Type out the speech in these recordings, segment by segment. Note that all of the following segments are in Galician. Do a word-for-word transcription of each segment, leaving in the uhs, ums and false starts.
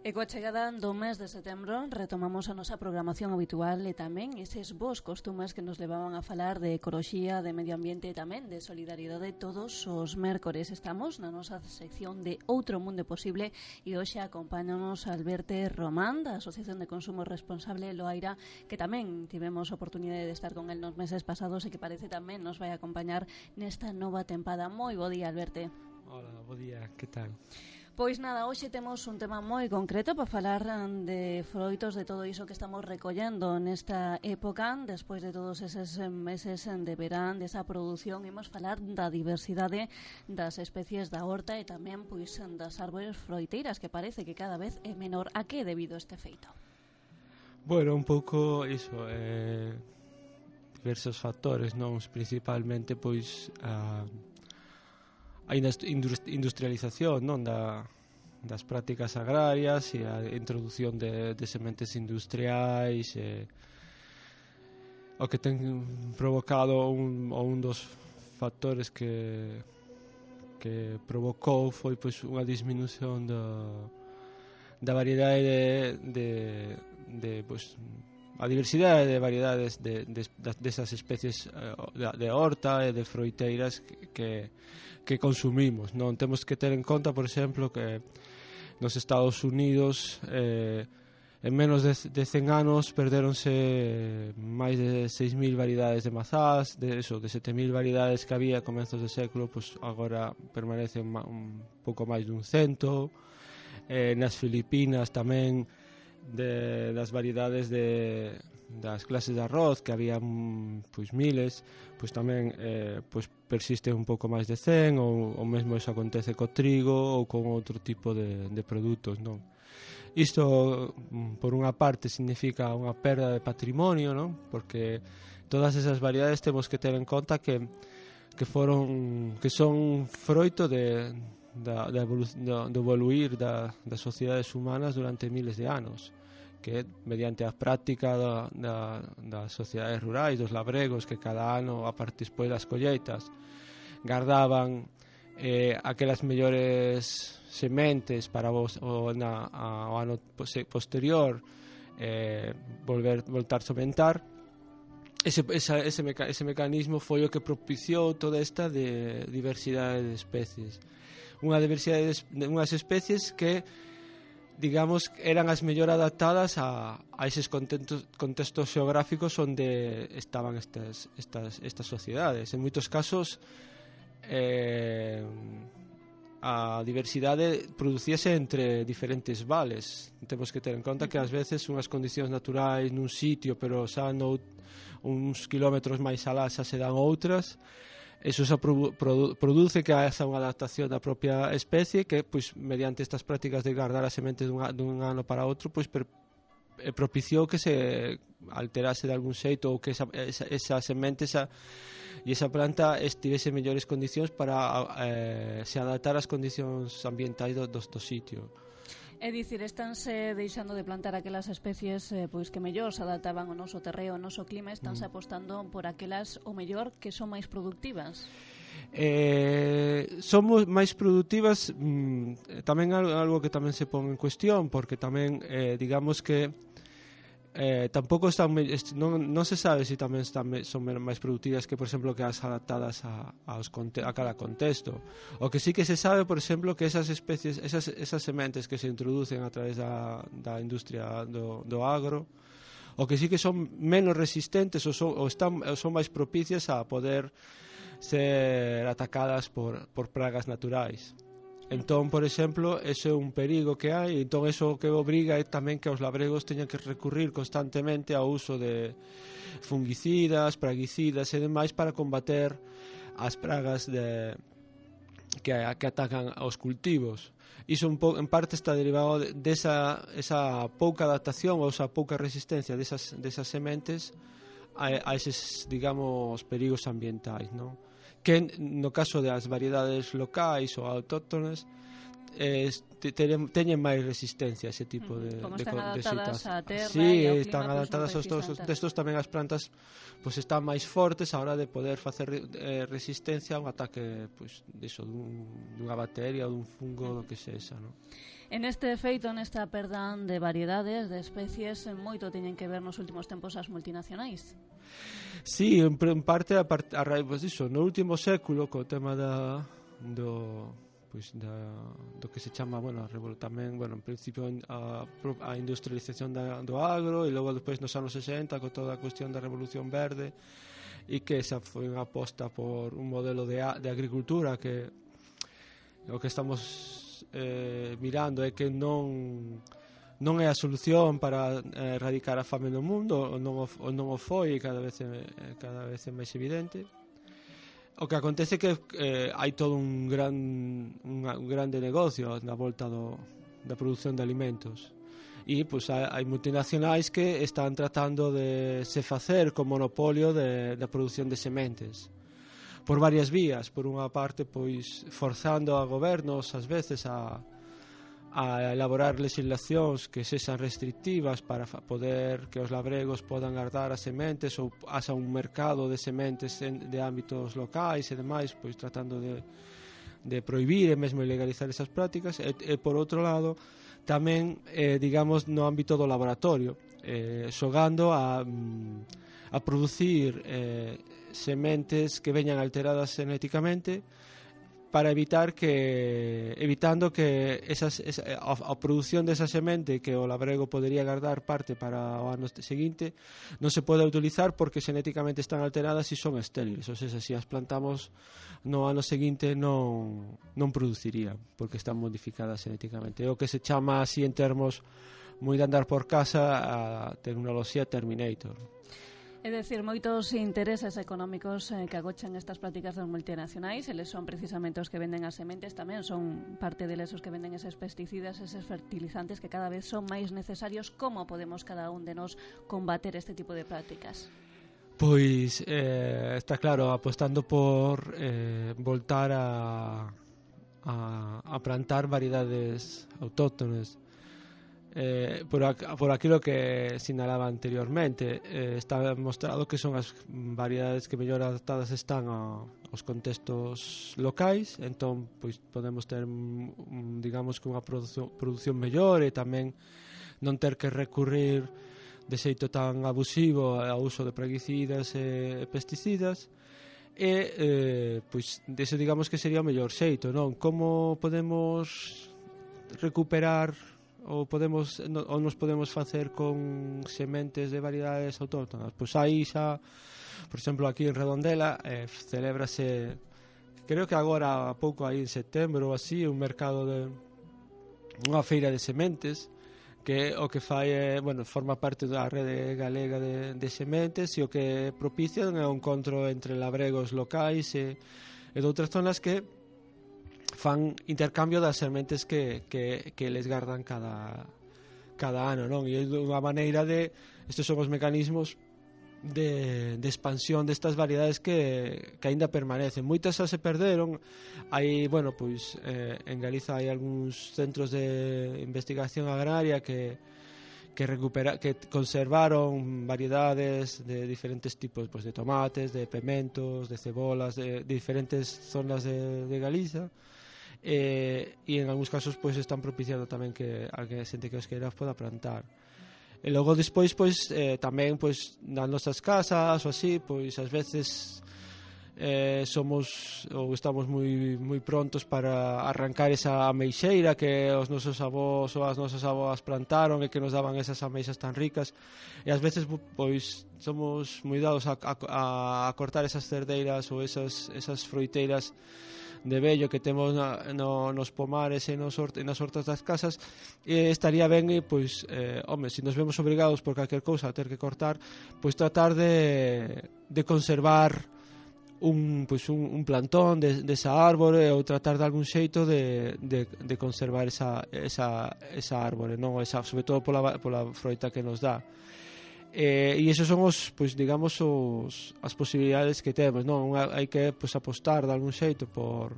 E coa chegada do mes de setembro retomamos a nosa programación habitual e tamén eses bons costumes que nos levaban a falar de ecoloxía, de medio ambiente e tamén de solidariedade todos os mércores. Estamos na nosa sección de Outro Mundo Posible e hoxe acompáñanos Alberto Román da Asociación de Consumo Responsable Loaira, que tamén tivemos oportunidade de estar con el nos meses pasados e que parece tamén nos vai acompañar nesta nova tempada. Moi bo día, Alberto. Hola, bo día, que tal? Pois nada, hoxe temos un tema moi concreto para falar de froitos, de todo iso que estamos recollendo nesta época, despois de todos eses meses de verán, desa produción. Imos falar da diversidade das especies da horta e tamén pois das árbores froiteiras, que parece que cada vez é menor. A que é debido este feito? Bueno, un pouco iso, eh, diversos factores, non? Principalmente, pois, a... a industrialización, non, da, das prácticas agrarias e a introducción de, de sementes industriais, e, o que ten provocado un, ou un dos factores que que provocou foi pois unha disminución da, da variedade de, de, de pois, a diversidade de variedades de, de, de, desas especies de, de horta e de froiteiras que, que consumimos, non? Temos que ter en conta, por exemplo, que nos Estados Unidos eh, en menos de, de cen anos perderonse máis de seis mil variedades de mazás, de, eso, de sete mil variedades que había a comenzos de século, pues agora permanecen un pouco máis dun cento. Eh, nas Filipinas tamén, de das variedades de das clases de arroz que había pois miles, pois tamén eh, pois persiste un pouco máis de cen, ou o mesmo iso acontece co trigo ou con outro tipo de, de produtos, non? Isto por unha parte significa unha perda de patrimonio, non? Porque todas esas variedades temos que ter en conta que que foron que son froito de Da, da evolu do, do evoluir da, das sociedades humanas durante miles de anos, que mediante a práctica da, da, das sociedades rurais, dos labregos, que cada ano a partir despois das colleitas guardaban eh, aquelas mellores sementes para vos, o, na, a, o ano posterior eh, volver voltar a sementar. Ese, esa, ese, meca, ese mecanismo foi o que propiciou toda esta de diversidade de especies, unha diversidade de unhas especies que, digamos, eran as mellor adaptadas a, a eses contextos, contextos xeográficos onde estaban estas, estas, estas sociedades. En moitos casos eh, a diversidade producíase entre diferentes vales. Temos que ter en conta que ás veces unhas condicións naturais nun sitio, pero xa no, uns kilómetros máis alá xa se dan outras. Eso xa produ produ produce que haxa unha adaptación da propia especie que, pois, mediante estas prácticas de guardar as sementes dun, dun ano para outro, pois, per, eh, propiciou que se alterase de algún xeito, ou que esa, esa, esa semente esa, e esa planta estivese en mellores condicións para eh, se adaptar ás condicións ambientais do, do, do sitio. É dicir, estánse deixando de plantar aquelas especies eh, pois que mellor se adaptaban ao noso terreo, ao noso clima, estánse mm. apostando por aquelas, o mellor, que son máis productivas. Eh, somos máis productivas, mm, tamén algo que tamén se pon en cuestión, porque tamén, eh, digamos que eh, tampouco están, non, non se sabe se si tamén están, son máis productivas que, por exemplo, que as adaptadas a, aos, a cada contexto. O que sí que se sabe, por exemplo, que esas especies, esas, esas sementes que se introducen a través da, da industria do, do agro, o que sí que son menos resistentes ou son, ou están, ou son máis propicias a poder ser atacadas por, por pragas naturais. Entón, por exemplo, ese é un perigo que hai, entón eso que obriga é tamén que os labregos teñan que recurrir constantemente ao uso de fungicidas, praguicidas e demais para combater as pragas de, que, que atacan aos cultivos. Iso un po, en parte está derivado desa de esa pouca adaptación ou esa pouca resistencia desas, desas sementes a, a eses, digamos, perigos ambientais, non? Que no caso das variedades locais ou autóctonas eh, teñen máis resistencia a ese tipo de, como de, están de, adaptadas de á terra sí, e ao clima, están adaptadas pues, aos dos, destos tamén as plantas pues, están máis fortes a hora de poder facer eh, resistencia a un ataque pues, diso, dun, dunha bacteria ou dun fungo, do que sexa, non? En este feito, nesta perda de variedades, de especies, moito teñen que ver nos últimos tempos as multinacionais. Sí, en, en parte a, part, a raíz pues iso, no último século co tema da do pois da do que se chama, bueno, tamén, bueno, en principio a, a industrialización da, do agro e logo despois nos anos sesenta con toda a cuestión da revolución verde e que esa foi unha aposta por un modelo de, de agricultura que o que estamos eh, mirando é que non non é a solución para eh, erradicar a fame no mundo, ou non o, ou non o foi, e cada vez é, cada vez é máis evidente. O que acontece é que eh, hai todo un gran un, un grande negocio na volta do, da produción de alimentos. E pois, hai, hai multinacionais que están tratando de se facer con monopolio de, da produción de sementes. Por varias vías, por unha parte pois forzando a gobernos ás veces a, a elaborar legislacións que sexan restrictivas para poder que os labregos podan guardar as sementes ou asa un mercado de sementes en, de ámbitos locais e demais, pois tratando de, de prohibir e mesmo ilegalizar esas prácticas e, e por outro lado tamén, eh, digamos, no ámbito do laboratorio eh, xogando a, a producir eh, sementes que veñan alteradas genéticamente para evitar que evitando que esas, esa, a, a produción desa semente que o labrego podería guardar parte para o ano seguinte non se pode utilizar porque genéticamente están alteradas e son estériles, ou seja, se as plantamos no ano seguinte non, non producirían porque están modificadas genéticamente. É o que se chama así en termos moi de andar por casa a tecnoloxía Terminator. É dicir, moitos intereses económicos eh, que agochan estas prácticas das multinacionais, eles son precisamente os que venden as sementes, tamén son parte deles os que venden eses pesticidas, eses fertilizantes que cada vez son máis necesarios. Como podemos cada un de nós combater este tipo de prácticas? Pois eh, está claro, apostando por eh, voltar a, a, a plantar variedades autóctones. Eh, por, ac por aquilo que sinalaba anteriormente, eh, está demostrado que son as variedades que mellor adaptadas están a, aos contextos locais, entón pois podemos ter un, digamos que unha produción, produción mellor e tamén non ter que recurrir de xeito tan abusivo ao uso de praguicidas e pesticidas e eh, pois dese digamos que sería o mellor xeito, non? Como podemos recuperar ou podemos ou nos podemos facer con sementes de variedades autóctonas? Pois aí xa, por exemplo, aquí en Redondela eh, celébrase, creo que agora a pouco aí en setembro ou así, un mercado de unha feira de sementes que o que fai é, bueno, forma parte da rede galega de, de sementes e o que propician é un encontro entre labregos locais e, e de outras zonas que fan intercambio das sementes que, que, que les gardan cada, cada ano, non? E é unha maneira de, estes son os mecanismos de, de expansión destas variedades que, que aínda permanecen. Moitas xa se perderon. Hai, bueno, pois eh, en Galiza hai algúns centros de investigación agraria que que recupera que conservaron variedades de diferentes tipos, pois de tomates, de pementos, de cebolas, de, de diferentes zonas de, de Galiza. Eh, e en algúns casos pois están propiciando tamén que a xente que os queira poda plantar. E logo despois pois eh, tamén pois nas nosas casas ou así, pois ás veces eh, somos ou estamos moi moi prontos para arrancar esa ameixeira que os nosos avós ou as nosas avós plantaron e que nos daban esas ameixas tan ricas, e ás veces pois somos moi dados a, a, a cortar esas cerdeiras ou esas, esas froiteiras de vello que temos na, no, nos pomares e nos hort, nas hortas das casas, e estaría ben e, pois, eh, home, se nos vemos obrigados por calquer cousa a ter que cortar, pois tratar de, de conservar un, pois, un, un plantón de, de esa árbore ou tratar de algún xeito de, de, de conservar esa, esa, esa árbore, non? Esa, sobre todo pola, pola froita que nos dá. Eh, e esos son os, pois digamos os, as posibilidades que temos, non? Hai que pois apostar de algún xeito por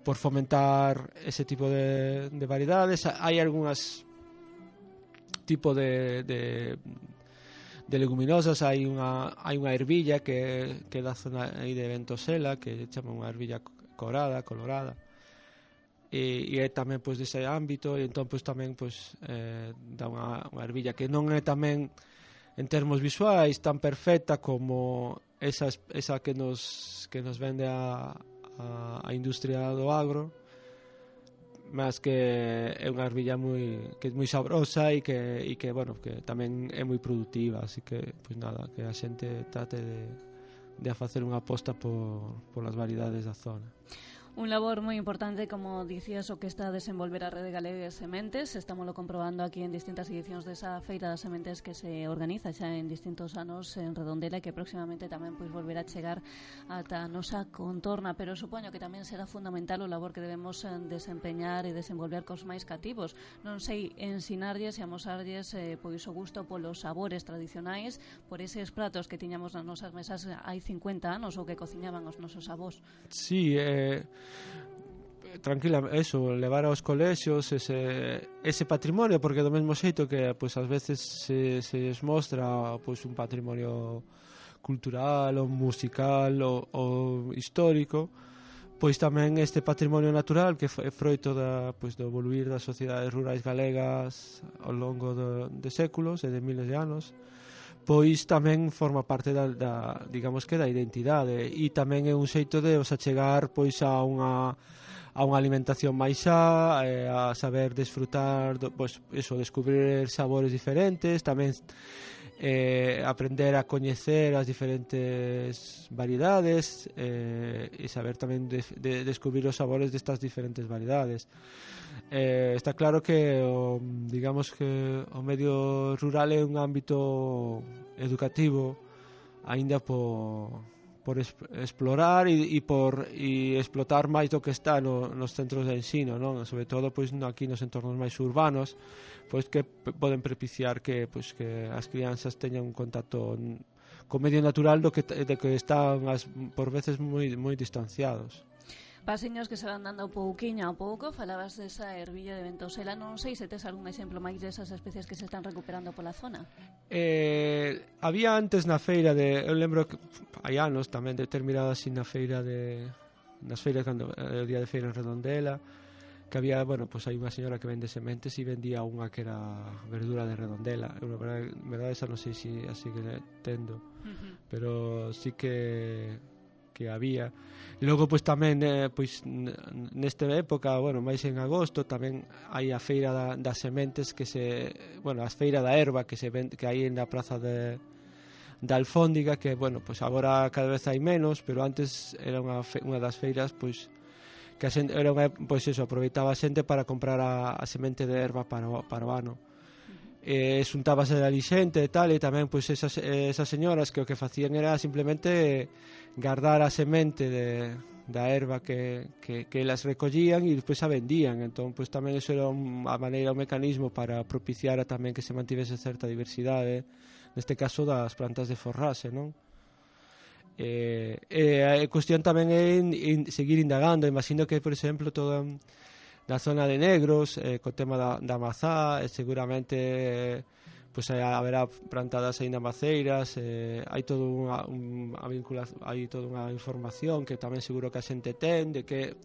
por fomentar ese tipo de, de variedades. Hai algunhas tipo de, de de leguminosas, hai unha hai unha ervilla que que da zona aí de Ventosela que chama unha ervilla corada, colorada. e, e é tamén pois dese ámbito, e entón pois tamén pois eh, dá unha, unha ervilla que non é tamén en termos visuais tan perfecta como esa, esa que nos que nos vende a, a, a industria do agro, mas que é unha ervilla moi que é moi sabrosa e que e que bueno, que tamén é moi produtiva, así que pois nada, que a xente trate de de a facer unha aposta por polas variedades da zona. Un labor moi importante, como dicías, o que está a desenvolver a Rede Galega de Sementes. Estámoslo comprobando aquí en distintas edicións desa Feira das Sementes que se organiza xa en distintos anos en Redondela e que próximamente tamén pois volverá a chegar ata a nosa contorna, pero supoño que tamén será fundamental o labor que debemos desempeñar e desenvolver cos máis cativos. Non sei, ensinarlles e amosarlles eh, pois o gusto polos sabores tradicionais, por eses pratos que tiñamos nas nosas mesas hai cincuenta anos ou que cociñaban os nosos avós. Sí, eh tranquila, eso, levar aos colexios ese, ese patrimonio, porque do mesmo xeito que pois ás veces se, se mostra pois un patrimonio cultural ou musical ou, ou histórico, pois tamén este patrimonio natural que é froito da, pois, do evoluir das sociedades rurais galegas ao longo do, de séculos e de miles de anos, pois tamén forma parte da, da digamos que da identidade, e tamén é un xeito de os achegar pois a unha a unha alimentación máis xa, eh, a saber desfrutar, do, pois eso, descubrir sabores diferentes, tamén eh, aprender a coñecer as diferentes variedades eh, e saber tamén de, de descubrir os sabores destas diferentes variedades. Eh, está claro que o, digamos que o medio rural é un ámbito educativo aínda por por explorar e, e por e explotar máis do que está no, nos centros de ensino, non? Sobre todo pois aquí nos entornos máis urbanos, pois que p- poden propiciar que pois que as crianzas teñan un contacto co medio natural do que de que están as, por veces moi moi distanciados. Pasiños que se van dando pouquiño a pouco. Falabas desa ervilla de ventosela. Non sei se tes algún exemplo máis desas especies que se están recuperando pola zona. Eh, había antes na feira de, eu lembro que hai anos tamén determinada así na feira de nas feiras cando o día de feira en Redondela, que había, bueno, pues hai unha señora que vende sementes e vendía unha que era verdura de Redondela. Eu, na verdade, verdade esa non sei se si, así que tendo, uh-huh. Pero sí que que había. E logo pois tamén eh, pois nesta época, bueno, máis en agosto tamén hai a feira da, das sementes que se, bueno, a feira da erva que se vende, que hai na praza de da Alfóndiga, que bueno, pois agora cada vez hai menos, pero antes era unha fe, unha das feiras pois que a xente, era unha, pois eso, aproveitaba a xente para comprar a, a semente de erva para o, para o ano. E xuntábase da lixente e tal, e tamén pois esas, esas señoras que o que facían era simplemente guardar a semente de, da erva que, que, que elas recollían e despois a vendían. Entón pois tamén eso era a maneira, un mecanismo para propiciar a tamén que se mantivese certa diversidade, neste caso das plantas de forraxe, non? E, e a cuestión tamén é in, in, seguir indagando. Imagino que, por exemplo, toda na zona de Negros, eh, co tema da, da mazá, eh, seguramente eh, pois pues, haberá plantadas aínda maceiras, eh, hai todo unha, un, a vinculación, hai toda unha información que tamén seguro que a xente ten, de que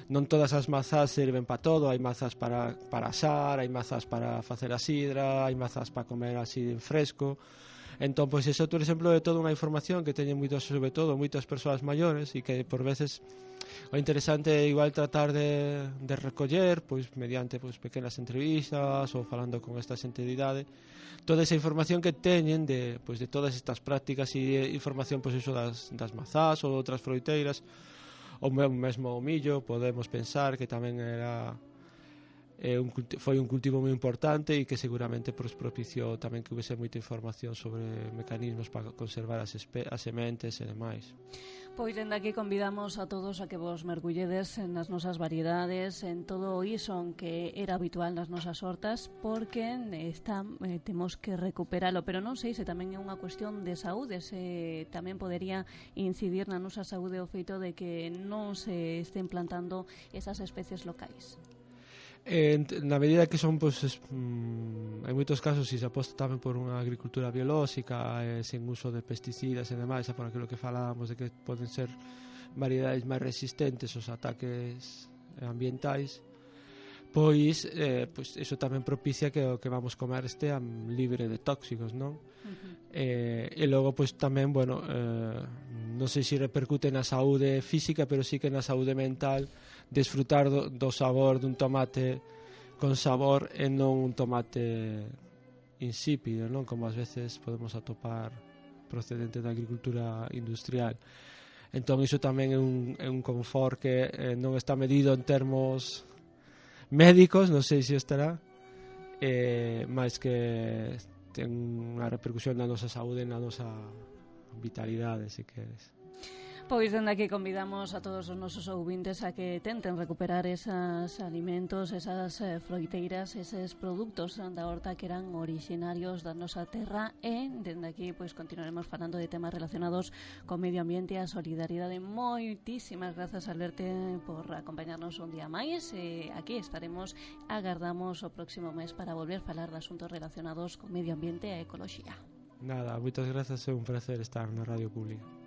non todas as mazás serven para todo, hai mazás para, para asar, hai mazás para facer a sidra, hai mazás para comer así en fresco. Entón, pois eso, por exemplo, é toda unha información que teñen moitos, sobre todo, moitas persoas maiores, e que por veces o interesante é igual tratar de, de recoller, pois mediante pois pequenas entrevistas ou falando con esta xente de idade, toda esa información que teñen de, pois, de todas estas prácticas e información pois eso das, das mazás ou outras froiteiras, ou mesmo o millo. Podemos pensar que tamén era É un, foi un cultivo moi importante e que seguramente pues, propiciou tamén que houvese moita información sobre mecanismos para conservar as, espe- as sementes e demais. Pois dende aquí convidamos a todos a que vos mergulledes nas nosas variedades, en todo o iso que era habitual nas nosas hortas, porque está, eh, temos que recuperalo, pero non sei se tamén é unha cuestión de saúde, se tamén podería incidir na nosa saúde o feito de que non se estén plantando esas especies locais. Eh, na medida que son pues, es, mm, en moitos casos si se aposta tamén por unha agricultura biolóxica eh, sen uso de pesticidas e demais, por aquilo que falábamos de que poden ser variedades máis resistentes aos ataques ambientais, pois, eh, pois eso tamén propicia que o que vamos comer estea libre de tóxicos, non? Uh-huh. Eh, e logo, pois tamén, bueno, eh, non sei se repercute na saúde física, pero sí que na saúde mental, desfrutar do, do sabor dun tomate con sabor e non un tomate insípido, non? Como ás veces podemos atopar procedente da agricultura industrial. Entón iso tamén é un, é un confort que eh, non está medido en termos médicos, non sei se estará, eh, máis que ten unha repercusión na nosa saúde e na nosa vitalidade, se queres. Pois dende aquí convidamos a todos os nosos ouvintes a que tenten recuperar esos alimentos, esas eh, froiteiras, eses produtos da horta que eran orixinarios da nosa terra, e dende aquí pois continuaremos falando de temas relacionados con medio ambiente e a solidariedade. Moitísimas grazas, Alberte, por acompañarnos un día máis, e aquí estaremos, agardamos o próximo mes para volver a falar de asuntos relacionados con medio ambiente e ecoloxía. Nada, moitas grazas, é un placer estar na Radio Pública.